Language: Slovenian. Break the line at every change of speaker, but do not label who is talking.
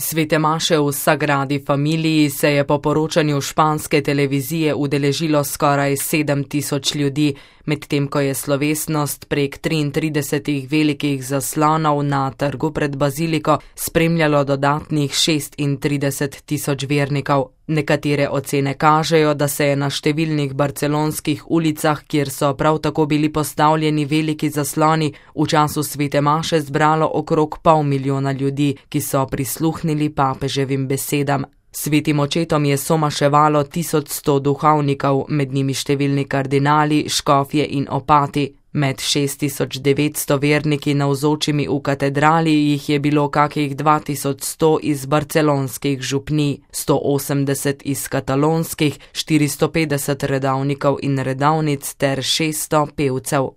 Svete maše v Sagradi Familiji se je po poročanju španske televizije udeležilo skoraj 7.000 ljudi, medtem ko je slovesnost prek 33 velikih zaslonov na trgu pred baziliko spremljalo dodatnih 36.000 vernikov. Nekatere ocene kažejo, da se je na številnih barcelonskih ulicah, kjer so prav tako bili postavljeni veliki zasloni, v času svete maše zbralo okrog 500 000 ljudi, ki so prisluhnili papeževim besedam. Svetim očetom je somaševalo 1100 duhovnikov, med njimi številni kardinali, škofje in opati. Med 6900 verniki navzočimi v katedrali jih je bilo kakih 2100 iz barcelonskih župnij, 180 iz katalonskih, 450 redavnikov in redavnic ter 600 pevcev.